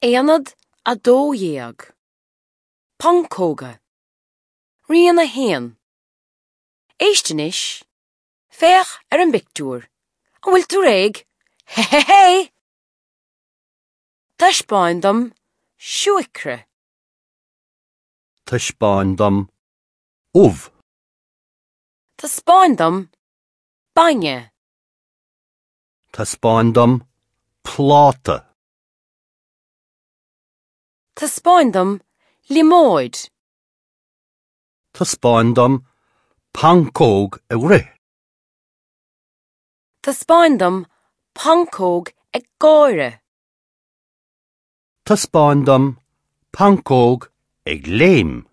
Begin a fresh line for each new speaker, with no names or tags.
Aonad 12. Pancóga. Rian 1. Éist anois. Féach ar an bpictiúr. An bhfuil tú réidh? Hé hé hé! Taispeáin dom siúicre.
Taispeáin dom ubh.
Taispeáin dom bainne.
Taispeáin dom pláta.
Taispeáin dom liomóid.
Taispeáin dom pancóg ag rith.
Taispeáin dom pancóg ag gáire.
Taispeáin dom pancóg ag léim.